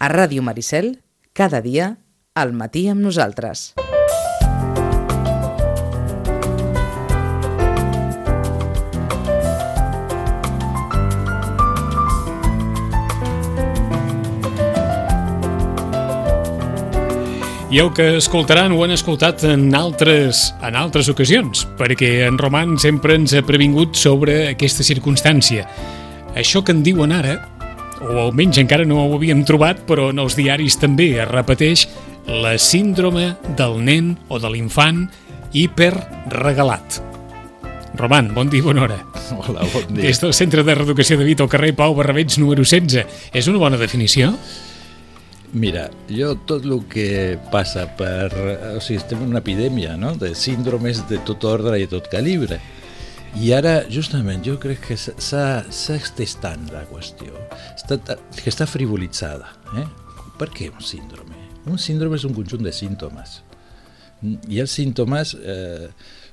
A Ràdio Maricel, cada dia, al matí amb nosaltres. I el que escoltaran ho han escoltat en altres ocasions, perquè en Roman sempre ens ha previngut sobre aquesta circumstància. Això que en diuen ara, o almenys encara no ho havíem trobat, però en els diaris també es repeteix, la síndrome del nen o de l'infant hiperregalat. Roman, bon dia i bona hora. Hola, bon dia. Des del Centre de Reeducació de Vita al carrer Pau Barrabeig número 16. És una bona definició? Mira, jo tot el que passa per... O sigui, estem en una epidèmia, no?, de síndromes de tot ordre i tot calibre. I ara, justament, jo crec que s'ha estès tant la qüestió, que està frivolitzada. Per què un síndrome? Un síndrome és un conjunt de símptomes. I els símptomes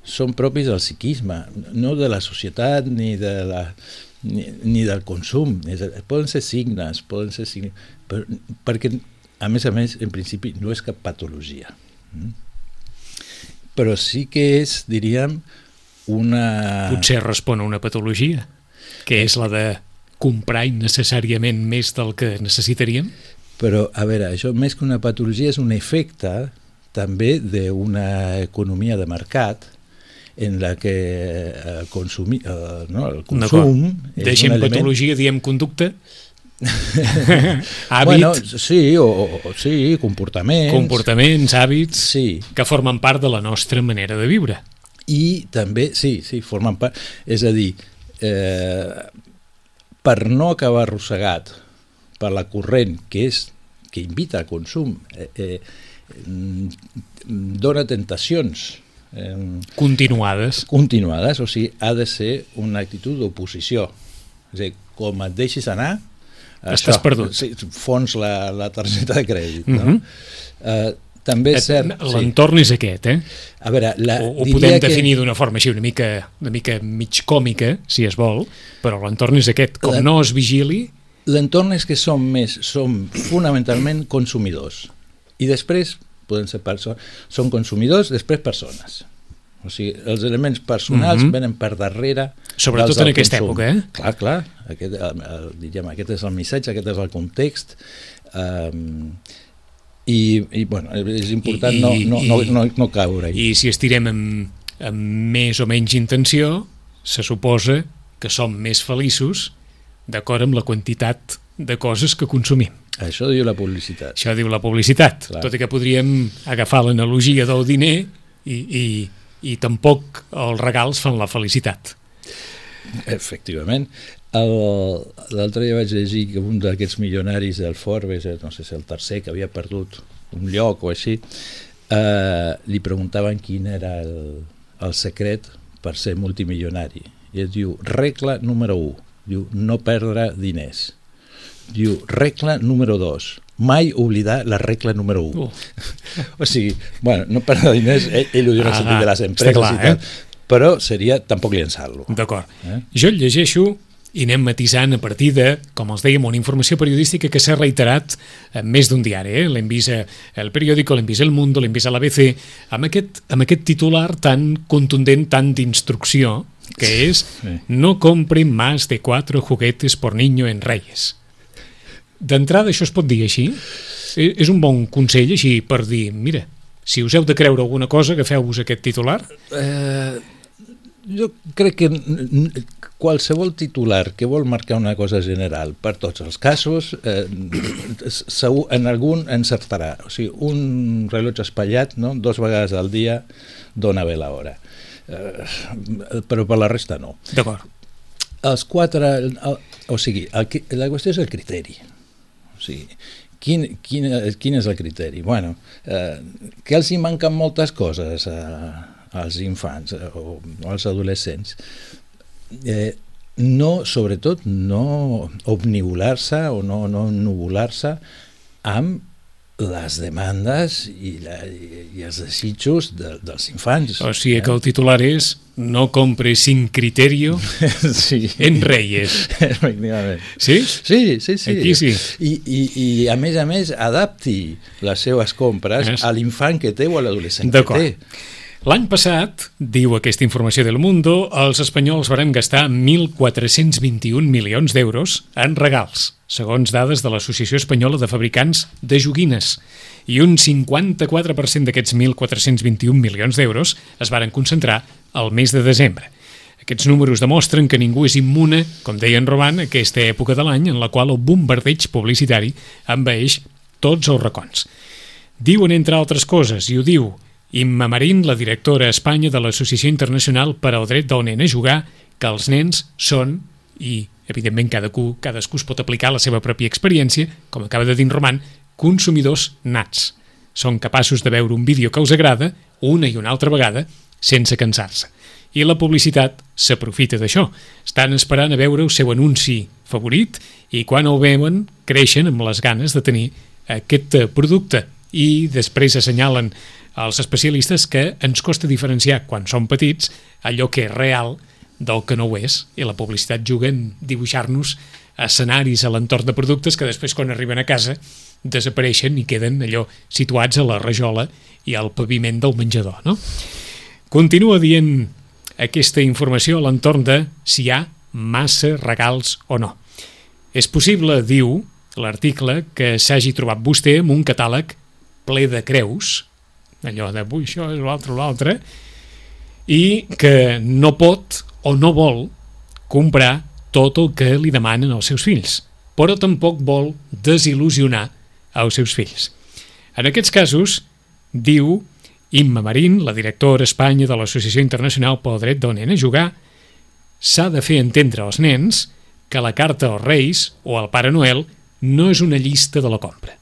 són propis del psiquisme, no de la societat ni del consum. Poden ser signes, perquè, a més, en principi, no és cap patologia. Però sí que és, diríem, una... Potser respon a una patologia, que és la de comprar innecessàriament més del que necessitaríem? Però, a veure, això més que una patologia és un efecte també d'una economia de mercat en la que el consum és un element... Deixem patologia, diem conducta? Hàbit? Bueno, sí, comportaments. Comportaments, hàbits, sí, que formen part de la nostra manera de viure. I també, sí, formen part, és a dir, per no acabar arrossegat per la corrent que invita al consum, dona tentacions continuades, o sigui, ha de ser una actitud d'oposició. És a dir, com et deixis anar, estàs perdut. Sí, fons la targeta de crèdit. No? També és cert... L'entorn és aquest, A veure, ho podem definir d'una forma així, una mica mig còmica, si es vol, però l'entorn és aquest. Com no es vigili... L'entorn és que som fonamentalment consumidors. I després, poden ser són consumidors, després persones. O sigui, els elements personals venen per darrere. Sobretot en aquesta època, Clar. Aquest és el missatge, aquest és el context. I bueno, és important no caure-hi. I si estirem amb més o menys intenció, se suposa que som més feliços d'acord amb la quantitat de coses que consumim. Això diu la publicitat. Clar. Tot i que podríem agafar l'analogia del diner i tampoc els regals fan la felicitat. Efectivament. L'altre dia vaig llegir que un d'aquests milionaris del Forbes, no sé si el tercer, que havia perdut un lloc o així, li preguntaven quin era el secret per ser multimilionari. I es diu, regla número 1, diu, no perdre diners. Diu, regla número 2, mai oblidar la regla número 1. O sigui, bueno, no perdre diners, ell ho diu en el sentit de les empreses clar, i tal, però seria tampoc llençar-lo. D'acord. Jo el llegeixo i anem matisant a partir de, com els dèiem, una informació periodística que s'ha reiterat en més d'un diari. L'hem vist al Periódico, l'hem vist al Mundo, l'hem vist a l'ABC, amb aquest titular tan contundent, tan d'instrucció, que és no compren más de 4 juguetes por niño en Reyes. D'entrada, això es pot dir així? És un bon consell així per dir, mira, si us heu de creure alguna cosa, agafeu-vos aquest titular? Jo crec que qualsevol titular que vol marcar una cosa general per tots els casos, segur, en algun encertarà. O sigui, un rellotge espatllat, no?, 2 vegades al dia dona bé l'hora. Però per la resta no. D'acord. Els 4... O sigui, la qüestió és el criteri. O sigui, quin és el criteri? Bueno, que els hi manquen moltes coses als infants o als adolescents. Sobretot no obnivolar-se o no ennuvolar-se amb les demandes i els desitjos dels infants. O sigui que el titular és no compre sin criterio en Reyes. Efectivament. Sí? Sí. Aquí sí. I a més, adapti les seves compres a l'infant que té o a l'adolescent que té. L'any passat, diu aquesta informació del Mundo, els espanyols varen gastar 1.421 milions d'euros en regals, segons dades de l'Associació Espanyola de Fabricants de Joguines, i un 54% d'aquests 1.421 milions d'euros es varen concentrar al mes de desembre. Aquests números demostren que ningú és immune, com deia en Roman, a aquesta època de l'any en la qual el bombardeig publicitari envaeix tots els racons. Diuen, entre altres coses, i ho diu Imma Marín, la directora a Espanya de l'Associació Internacional per al Dret del Nen a Jugar, que els nens són, i evidentment cadascú es pot aplicar la seva pròpia experiència, com acaba de dir en Roman, consumidors nats. Són capaços de veure un vídeo que els agrada una i una altra vegada sense cansar-se. I la publicitat s'aprofita d'això. Estan esperant a veure el seu anunci favorit i quan el veuen creixen amb les ganes de tenir aquest producte i després assenyalen els especialistes que ens costa diferenciar quan som petits allò que és real del que no ho és, i la publicitat juga en dibuixar-nos escenaris a l'entorn de productes que després quan arriben a casa desapareixen i queden allò situats a la rajola i al paviment del menjador, no? Continua dient aquesta informació a l'entorn de si hi ha massa regals o no. És possible, diu l'article, que s'hagi trobat vostè amb un catàleg ple de creus, allò de això és l'altre, i que no pot o no vol comprar tot el que li demanen els seus fills, però tampoc vol desil·lusionar els seus fills. En aquests casos, diu Imma Marín, la directora a Espanya de l'Associació Internacional pel Dret del Nen a Jugar, s'ha de fer entendre als nens que la carta als Reis o al Pare Noel no és una llista de la compra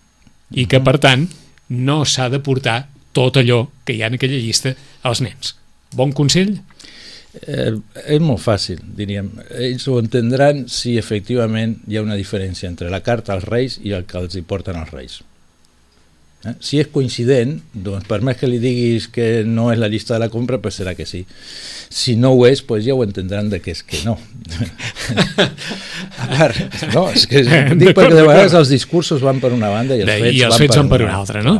i que, per tant, no s'ha de portar tot allò que hi ha en aquella llista als nens. Bon consell? És molt fàcil, diríem. Ells ho entendran si efectivament hi ha una diferència entre la carta als Reis i el que els hi porten els Reis. Si és coincident, doncs per més que li diguis que no és la llista de la compra, pues serà que sí. Si no ho és, pues ja ho entendran de que és que no. A part, no, és que dic perquè de vegades els discursos van per una banda i els fets van per una altra, no?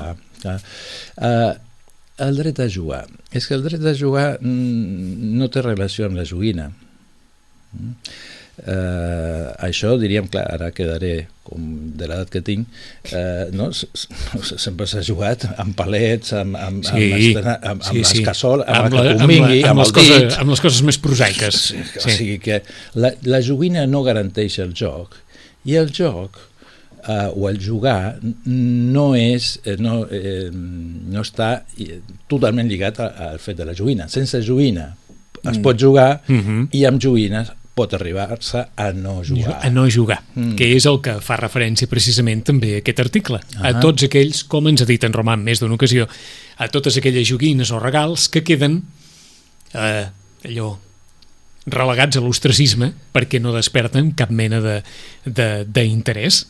El dret a jugar. És que el dret a jugar no té relació amb la joguina. Això diríem, clar, ara quedaré com de l'edat que tinc, no? Sempre s'ha jugat amb palets, amb les cassoles, amb el que convingui, amb el dit, amb les coses més prosaiques. O sigui que la joguina no garanteix el joc, i el joc o el jugar no està totalment lligat al fet de la joguina. Sense joguina es pot jugar i amb joguines pot arribar-se a no jugar. A no jugar, que és el que fa referència precisament també a aquest article. A tots aquells, com ens ha dit en Roman més d'una ocasió, a totes aquelles joguines o regals que queden allò relegats a l'ostracisme perquè no desperten cap mena d'interès.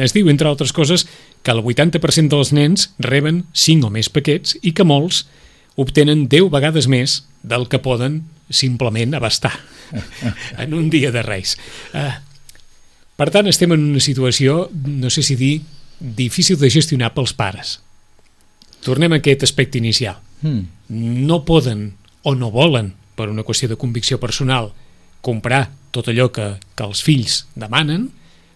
Es diu, entre altres coses, que el 80% dels nens reben 5 o més paquets i que molts obtenen 10 vegades més del que poden simplement abastar en un dia de Reis. Per tant, estem en una situació, no sé si dir, difícil de gestionar pels pares. Tornem a aquest aspecte inicial. No poden o no volen, per una qüestió de convicció personal, comprar tot allò que els fills demanen,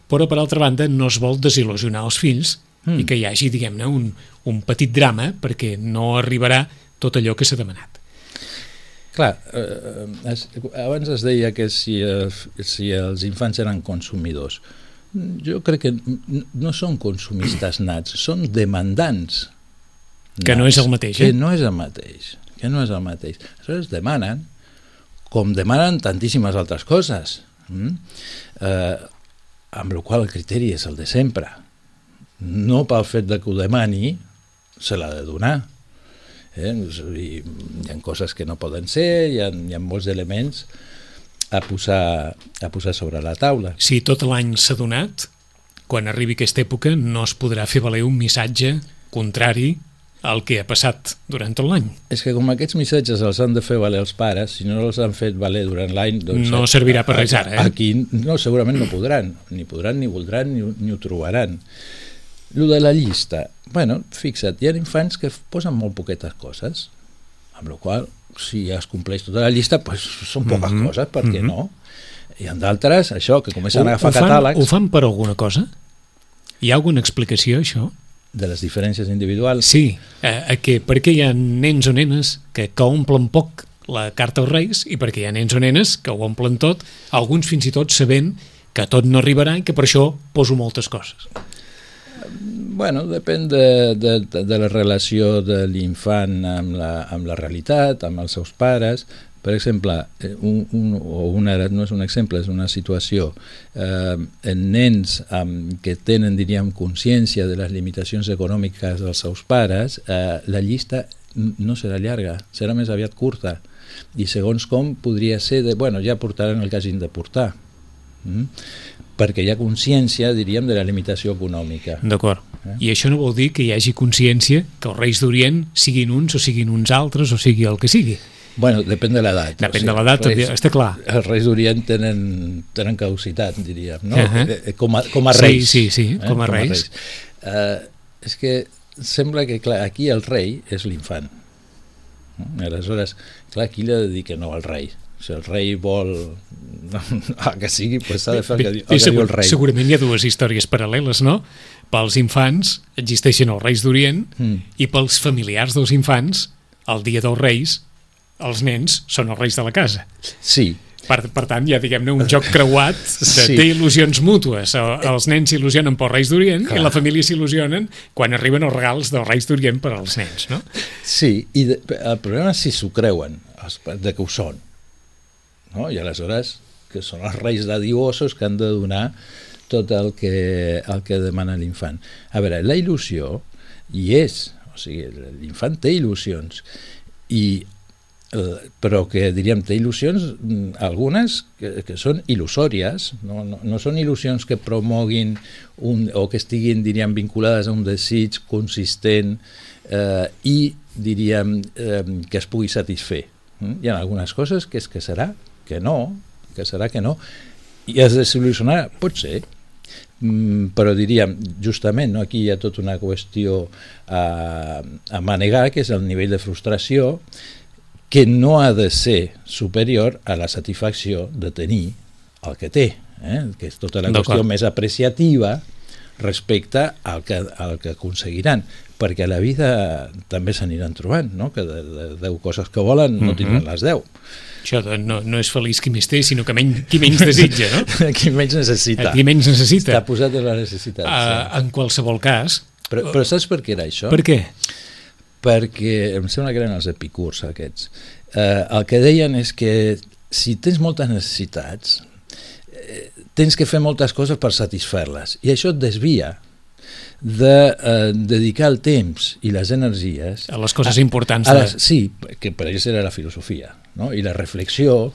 però per altra banda no es vol desil·lusionar els fills i que hi hagi, diguem-ne, un petit drama perquè no arribarà tot allò que s'ha demanat. Clar, abans es deia que si els infants eren consumidors. Jo crec que no són consumistes nats, són demandants nats. Que no és el mateix, Que no és el mateix. Aleshores demanen, com demanen tantíssimes altres coses, amb la qual el criteri és el de sempre. No pel fet que ho demani, se l'ha de donar. Hi ha coses que no poden ser, hi ha molts elements a posar sobre la taula. Si tot l'any s'ha donat, quan arribi aquesta època no es podrà fer valer un missatge contrari al que ha passat durant tot l'any. És que com aquests missatges els han de fer valer els pares, si no els han fet valer durant l'any... Doncs no servirà per res ara, Aquí no, segurament no podran, ni voldran, ni ho trobaran. Lo de la llista, bueno, fixa't, hi ha infants que posen molt poquetes coses, amb la qual si es compleix tota la llista, pues, són poques coses, per què no? Hi ha d'altres, això, que comencen a agafar catàlegs... Ho fan per alguna cosa? Hi ha alguna explicació, això? De les diferències individuals? Sí, perquè hi ha nens o nenes que omplen poc la carta als Reis i perquè hi ha nens o nenes que ho omplen tot, alguns fins i tot sabent que tot no arribarà i que per això poso moltes coses. Bueno, depèn de la relació de l'infant amb la realitat, amb els seus pares. Per exemple, no és un exemple, és una situació. En nens que tenen, diríem, consciència de les limitacions econòmiques dels seus pares, la llista no serà llarga, serà més aviat curta. I segons com podria ser bueno, ja portaran el que hagin de portar. Perquè hi ha consciència, diríem, de la limitació econòmica. D'acord. I això no vol dir que hi hagi consciència que els Reis d'Orient siguin uns o siguin uns altres o sigui el que sigui. Bueno, depèn de l'edat. Depèn de l'edat, està clar. Els Reis d'Orient tenen caducitat, diríem, no? Com a reis. Sí, com a reis. És que sembla que, clar, aquí el rei és l'infant. Aleshores, clar, aquí li ha de dir que no al rei. Si el rei vol que sigui, doncs s'ha de fer el que diu el rei. Segurament hi ha dues històries paral·leles, no? Pels infants existeixen els Reis d'Orient i pels familiars dels infants, el dia dels Reis, els nens són els reis de la casa. Sí. Per tant, hi ha, diguem-ne, un joc creuat té il·lusions mútues. Els nens s'il·lusionen pels Reis d'Orient i la família s'il·lusionen quan arriben els regals dels Reis d'Orient per als nens, no? Sí, i el problema és si s'ho creuen, de que ho són. No? I aleshores, que són els reis dadiosos que han de donar tot el que demana l'infant. A veure, la il·lusió hi és, o sigui, l'infant té il·lusions, però que, diríem, té il·lusions, algunes que són il·lusòries, no són il·lusions que promoguin o que estiguin, diríem, vinculades a un desig consistent i, diríem, que es pugui satisfer. Hi ha algunes coses que és que serà que no, i es desil·lusionarà, pot ser, però diríem, justament, aquí hi ha tota una qüestió a manegar, que és el nivell de frustració, que no ha de ser superior a la satisfacció de tenir el que té, que és tota la qüestió més apreciativa respecte al que aconseguiran, perquè a la vida també s'aniran trobant, no? Que de 10 coses que volen no tindran les 10. Això no és feliç qui més té, sinó que qui menys desitja, no? Qui menys necessita. Qui menys necessita. Està posat en la necessitat. En qualsevol cas... Però saps per què era això? Per què? Perquè em sembla que eren els epicurs aquests. El que deien és que si tens moltes necessitats, tens que fer moltes coses per satisfer-les, i això et desvia de dedicar el temps i les energies a les coses importants. Sí, que per ells era la filosofia, no? I la reflexió,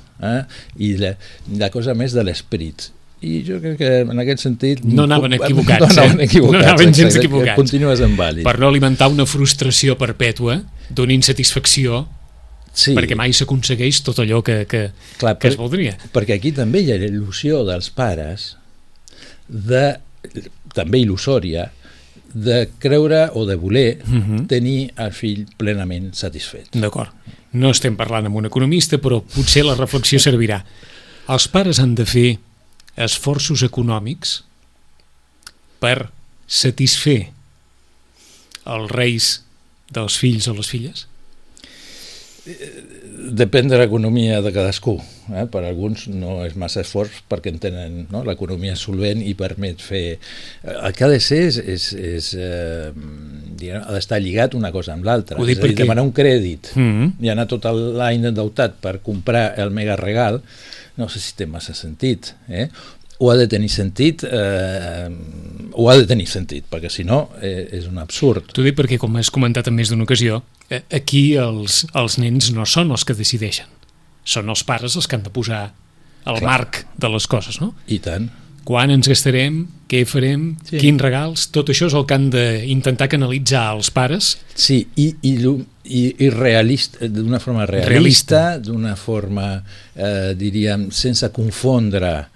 i la cosa més de l'esperit. I jo crec que en aquest sentit no anaven equivocats, no anaven gens equivocats. Continues en vàlid. Per no alimentar una frustració perpètua d'una insatisfacció, perquè mai s'aconsegueix tot allò que es voldria. Perquè aquí també hi ha la il·lusió dels pares, també il·lusòria, de creure o de voler tenir el fill plenament satisfet. D'acord. No estem parlant amb un economista, però potser la reflexió servirà. Els pares han de fer esforços econòmics per satisfer els reis dels fills o les filles? Depèn de l'economia de cadascú. Per alguns no és massa esforç perquè en tenen, no? L'economia solvent i permet fer... El que ha de ser ha d'estar lligat una cosa amb l'altra. És a dir, demanar un crèdit i anar tot l'any endeutat per comprar el mega regal, no sé si té massa sentit. Ho ha de tenir sentit, perquè si no és un absurd. T'ho dic perquè, com has comentat en més d'una ocasió, aquí els nens no són els que decideixen, són els pares els que han de posar el marc de les coses, no? I tant. quan ens gastarem, què farem, quins regals, tot això és el que han d'intentar canalitzar els pares. Sí, i realista, d'una forma realista. D'una forma, diríem, sense confondre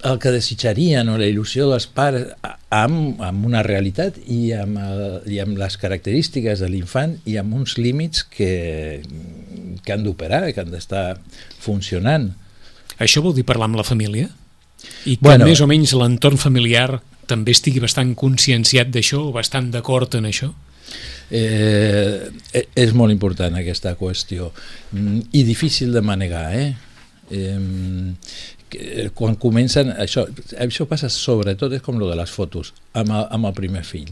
el que desitjarien o la il·lusió dels pares amb una realitat i amb les característiques de l'infant i amb uns límits que han d'operar, que han d'estar funcionant. Això vol dir parlar amb la família? I que més o menys l'entorn familiar també estigui bastant conscienciat d'això o bastant d'acord en això? És molt important aquesta qüestió i difícil de manegar, quan comencen això passa sobretot, és com lo de les fotos amb el primer fill,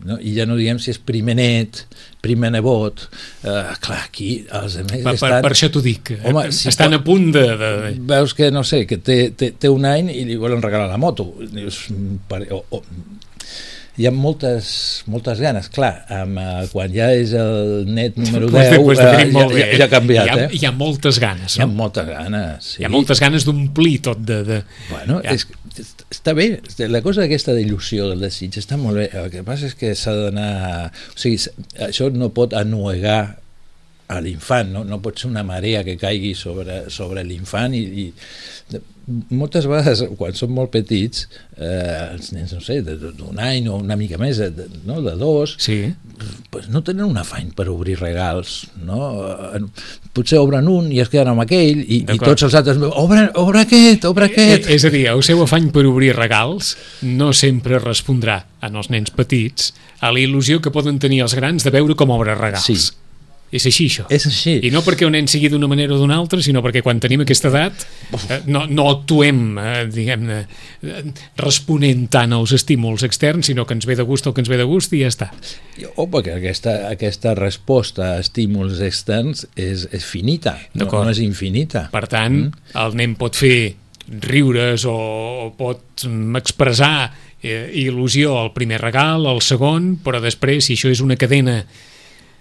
no? I ja no diguem si és primer net, primer nebot, clar, aquí els altres estan... Per això t'ho dic, home, estan a punt de... Veus que, no sé, que té un any i li volen regalar la moto, dius, hi ha moltes ganes, clar, quan ja és el net número 10 ja ha canviat. Hi ha moltes ganes, no? Hi ha moltes ganes, sí. Hi ha moltes ganes d'omplir tot de... Bueno, està bé, la cosa aquesta d'il·lusió del desig està molt bé, el que passa és que s'ha d'anar... O sigui, això no pot ennuegar a l'infant, no pot ser una marea que caigui sobre l'infant i moltes vegades quan són molt petits els nens, no sé, d'un any o una mica més, de 2, pues no tenen un afany per obrir regals, no? Potser obren un i es queden amb aquell i tots els altres obre aquest. És a dir, el seu afany per obrir regals no sempre respondrà en els nens petits a la il·lusió que poden tenir els grans de veure com obre regals. Sí. És així, això. És així. I no perquè un nen sigui d'una manera o d'una altra, sinó perquè quan tenim aquesta edat no actuem, diguem-ne, responent tant als estímuls externs, sinó que ens ve de gust el que ens ve de gust i ja està. Perquè aquesta resposta a estímuls externs és finita, no és infinita. Per tant, el nen pot fer riures o pot expressar il·lusió al primer regal, al segon, però després, si això és una cadena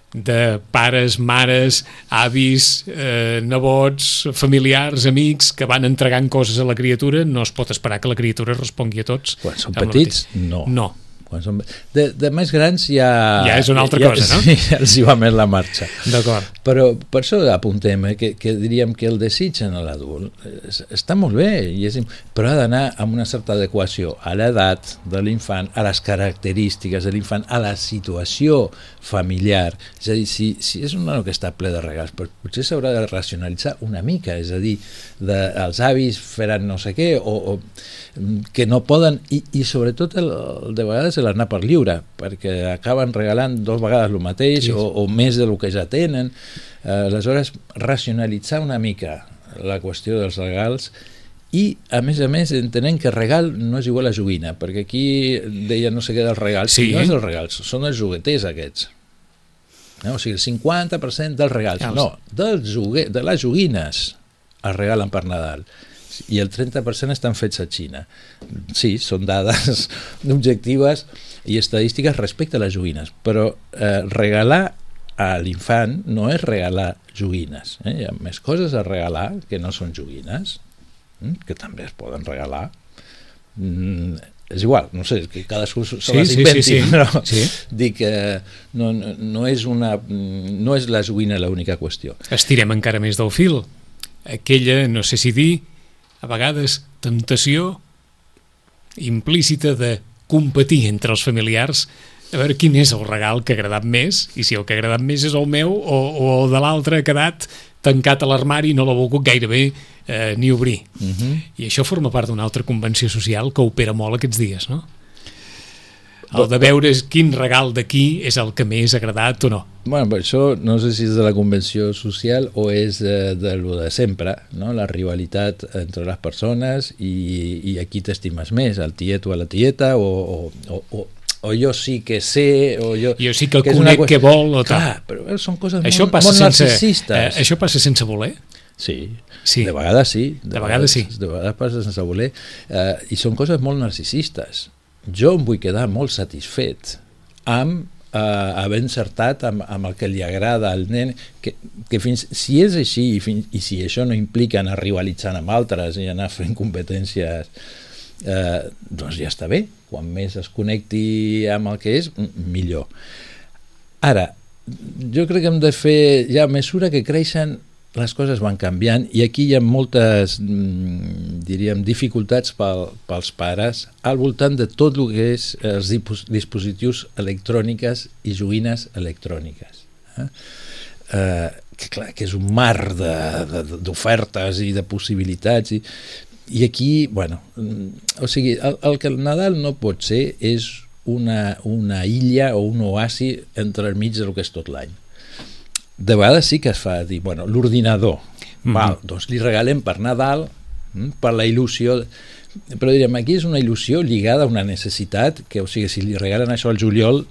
de pares, mares, avis, nebots, familiars, amics que van entregant coses a la criatura, no es pot esperar que la criatura respongui a tots. Quan són petits, no. Quan són... de més grans ja és una altra cosa, no? Sí, ja els hi va més la marxa. D'acord. Però per això apuntem que diríem que el desig en l'adult està molt bé, però ha d'anar amb una certa adequació a l'edat de l'infant, a les característiques de l'infant, a la situació familiar. És a dir, si és un nano que està ple de regals, potser s'haurà de racionalitzar una mica, és a dir, els avis faran no sé què, o que no poden, i sobretot de vegades l'anar per lliure, perquè acaben regalant 2 vegades el mateix o més del que ja tenen. Aleshores, racionalitzar una mica la qüestió dels regals i, a més, entenent que regal no és igual a joguina, perquè aquí deia no sé què dels regals, no és els regals, són els jugueters aquests. O sigui, el 50% dels regals, no, de les joguines es regalen per Nadal. I el 30% estan fets a Xina. Sí, són dades objectives i estadístiques respecte a les joguines, però regalar a l'infant no és regalar joguines. Hi ha més coses a regalar que no són joguines, que també es poden regalar. És igual, no sé, que cadascú se les inventi, però dic que no és la joguina l'única qüestió. Estirem encara més del fil. Aquella, no sé si dir, a vegades temptació implícita de competir entre els familiars a veure quin és el regal que ha agradat més, i si el que ha agradat més és el meu o el de l'altre ha quedat tancat a l'armari i no l'ha volgut gairebé ni obrir. I això forma part d'una altra convenció social que opera molt aquests dies, no? El de veure quin regal d'aquí és el que més ha agradat o no. Bueno, això no sé si és de la convenció social o és de lo de sempre, no? La rivalitat entre les persones i a qui t'estimes més, al tiet o a la tieta, o jo sí que sé, o jo sí que conec què vol o tal. Clar, però són coses molt narcisistes. Això passa sense voler? Sí, de vegades sí. De vegades passa sense voler, i són coses molt narcisistes. Jo em vull quedar molt satisfet amb haver encertat amb el que li agrada al nen, que si és així i si això no implica anar rivalitzant amb altres i anar fent competències, doncs ja està bé. Quan més es connecti amb el que és, millor. Ara, jo crec que hem de fer, ja a mesura que creixen, les coses van canviant i aquí hi ha moltes, diríem, dificultats pels pares al voltant de tot el que és els dispositius electrònics i joguines electròniques. Que clar, que és un mar d'ofertes i de possibilitats i aquí, bueno, o sigui, el que el Nadal no pot ser és una illa o un oasi entremig del que és tot l'any. De vegades sí que es fa dir, bueno, l'ordinador, doncs li regalem per Nadal, per la il·lusió, però direm, aquí és una il·lusió lligada a una necessitat, que o sigui, si li regalen això al juliol,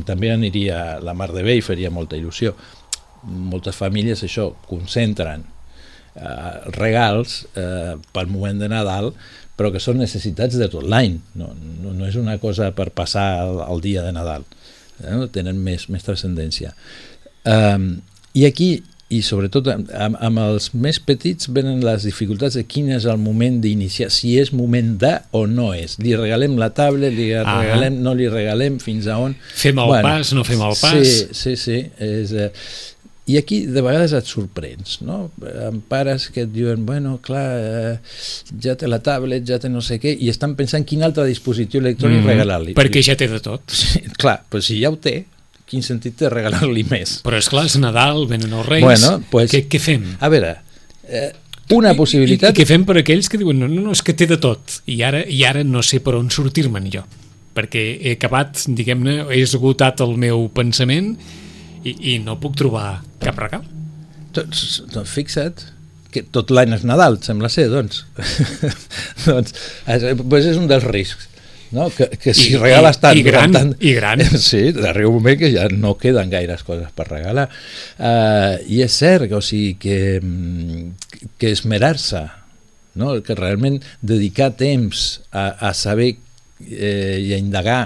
també aniria la mar de bé i faria molta il·lusió. Moltes famílies això, concentren regals pel moment de Nadal, però que són necessitats de tot l'any, no és una cosa per passar el dia de Nadal, tenen més transcendència. I aquí, i sobretot amb els més petits, venen les dificultats de quin és el moment d'iniciar, si és moment de o no és. Li regalem la tablet, li regalem, no li regalem, fins a on... Fem el pas, no fem el pas... Sí. I aquí de vegades et sorprens, no? Amb pares que et diuen, bueno, clar, ja té la tablet, ja té no sé què, i estan pensant quin altre dispositiu electrònic regalar-li. Perquè ja té de tot. Sí, clar, però si ja ho té, quin sentit té regalar-li més? Però és clar, és Nadal, venen els Reis, bueno, pues, què fem? A veure, una possibilitat... I què fem per aquells que diuen, no, és que té de tot, i ara no sé per on sortir-me'n jo, perquè he acabat, diguem-ne, he esgotat el meu pensament i no puc trobar cap regal. Doncs fixa't que tot l'any és Nadal, sembla ser, doncs. Doncs és un dels riscs, no? Que si regales tant... I gran. Sí, arriba un moment que ja no queden gaires coses per regalar. I és cert, o sigui, que esmerar-se, no? Que realment dedicar temps a saber i a indagar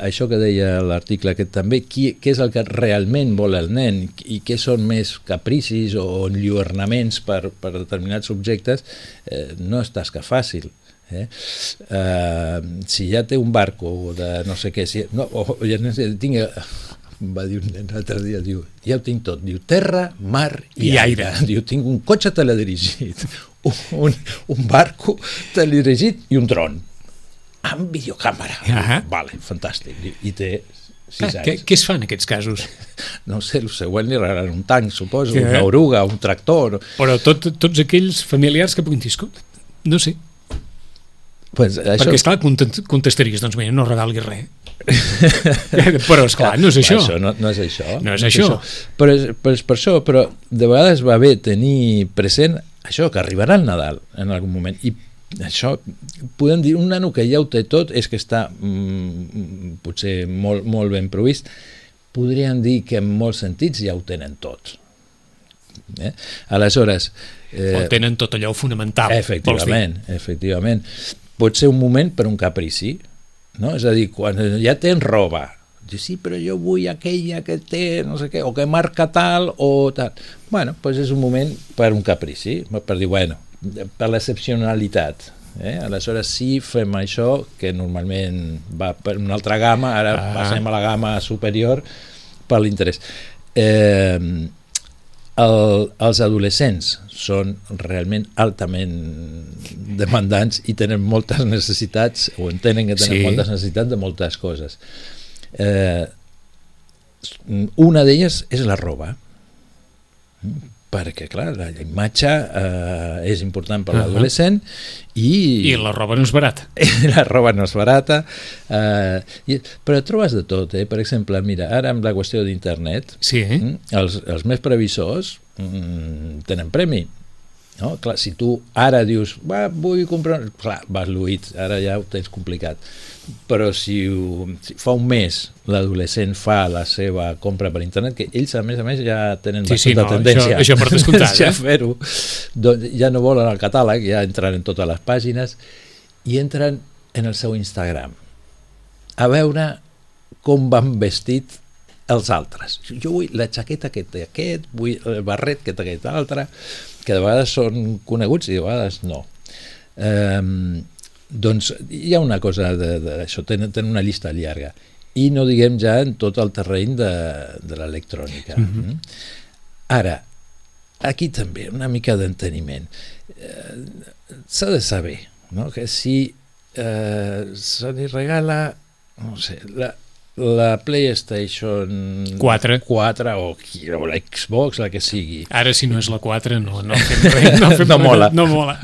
això que deia l'article aquest també, què és el que realment vol el nen i què són més capricis o enlluernaments per determinats objectes, no és tasca fàcil. Si ja té un barco de no sé què, va dir un nen l'altre dia, diu, ja ho tinc tot, diu terra, mar i aire. Diu, tinc un cotxe teledirigit, un barco teledirigit i un dron amb videocàmera. Vale, fantàstic. I té 6 anys. Què es fa en aquests casos? No sé, el següent li regalen un tanc, suposo, una oruga, un tractor. Però tots aquells familiars que puguin dir, no sé. Pues això... Perquè, esclar, contestaries, doncs mira, no regalguis res. Però, esclar, no és això. No és això. No és això. Però és per això, però de vegades va bé tenir present això, que arribarà el Nadal en algun moment. I això, podem dir, un nano que ja ho té tot és que està potser molt, molt ben provist. Podríem dir que en molts sentits ja ho tenen tot. Aleshores... o tenen tot allò fonamental. Efectivament. Pot ser un moment per un caprici, no? És a dir, quan ja tens roba, dius, sí, però jo vull aquella que té no sé què, o que marca tal o tal. Bueno, doncs és un moment per un caprici, per dir, bueno, per l'excepcionalitat. Aleshores sí fem això, que normalment va per una altra gamma, ara passem a la gamma superior per l'interès. Els adolescents són realment altament demandants i tenen moltes necessitats, o entenen que tenen moltes necessitats de moltes coses. Una d'elles és la roba, perquè, clar, la imatge és important per l'adolescent i la roba no és barata. La roba no és barata, però trobes de tot, Per exemple, mira, ara amb la qüestió d'internet, els més previsors tenen premi. No? Clar, si tu ara dius, vull comprar... Clar, vas lluït, ara ja ho tens complicat. Però si fa un mes l'adolescent fa la seva compra per internet, que ells a més ja tenen bastanta tendència això per descomptat, a fer-ho, doncs ja no volen el catàleg, ja entren en totes les pàgines i entren en el seu Instagram a veure com van vestit els altres. Jo vull la jaqueta que té aquest, vull el barret que té aquest altre, que de vegades són coneguts i de vegades no. Doncs hi ha una cosa d'això, tenen una llista llarga. I no diguem ja en tot el terreny de l'electrònica. Ara, aquí també, una mica d'enteniment. S'ha de saber, no? Que si se li regala, no sé, la PlayStation 4 o la Xbox, la que sigui. Ara, si no és la 4, no fem res. No mola. No mola.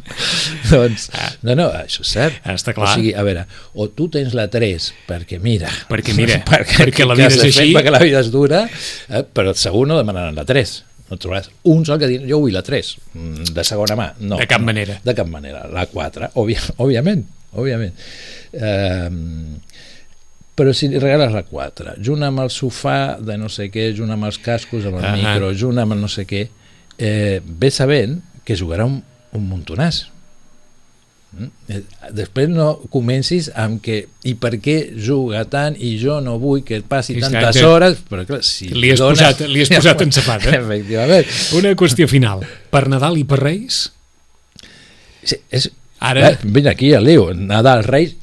Doncs, no, això és cert. Està clar. O sigui, a veure, o tu tens la 3, perquè mira, perquè la vida és així. Perquè la vida és dura, però segur no demanaran la 3. No trobaràs un sol que digui, jo vull la 3, de segona mà. No, de cap manera. De cap manera. La 4, òbviament. Però si li regales la 4, junt amb el sofà de no sé què, junt amb els cascos, amb el micro, junt amb el no sé què, ve sabent que jugarà un muntonàs. Després no comencis amb que i per què juga tant i jo no vull que passi tantes hores, però clar, si li has posat en sapat, efectivament. Una qüestió final, per Nadal i per Reis? Sí, ara vine aquí a Leo, Nadal, Reis,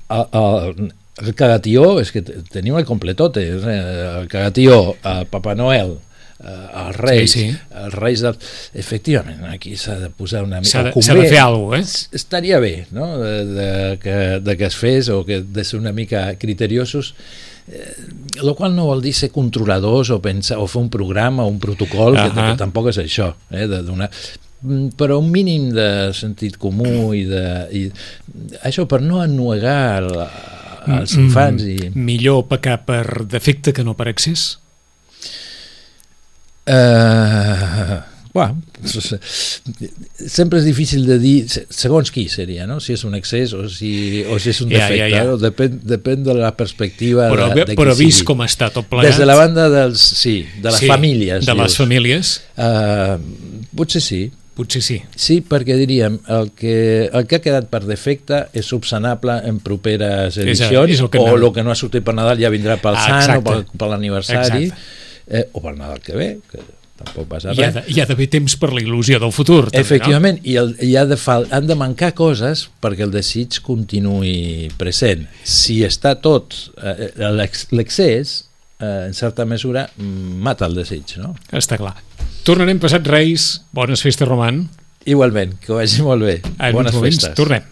el cagatió, és que tenim el completote, el cagatió, el Papa Noel, els Reis, els Reis efectivament, aquí s'ha de posar una mica... S'ha de fer alguna cosa, Estaria bé, no?, de que es fes, o que de ser una mica criteriosos, el qual no vol dir ser controladors o pensar, o fer un programa o un protocol, que tampoc és això, de donar... però un mínim de sentit comú i això per no ennuegar els infants. Millor pecar per defecte que no per excés? Sempre és difícil de dir segons qui seria, no? Si és un excés o si és un defecte, no? Depèn de la perspectiva de qui però vist sigui. Com està tot plegat, des de la banda de les famílies, les famílies, potser sí. Sí, perquè diríem el que ha quedat per defecte és subsanable en properes edicions, o el que no ha sortit per Nadal ja vindrà pel Sant o per l'aniversari, o per Nadal que ve, que tampoc passa res. Hi ha d'haver temps per la il·lusió del futur, també, efectivament, no? I han de mancar coses perquè el desig continuï present. Si està tot, l'excés, en certa mesura, mata el desig, no? Està clar. Tornarem passat Reis. Bones festes, Roman. Igualment, que vagi molt bé. Bones festes. Tornem.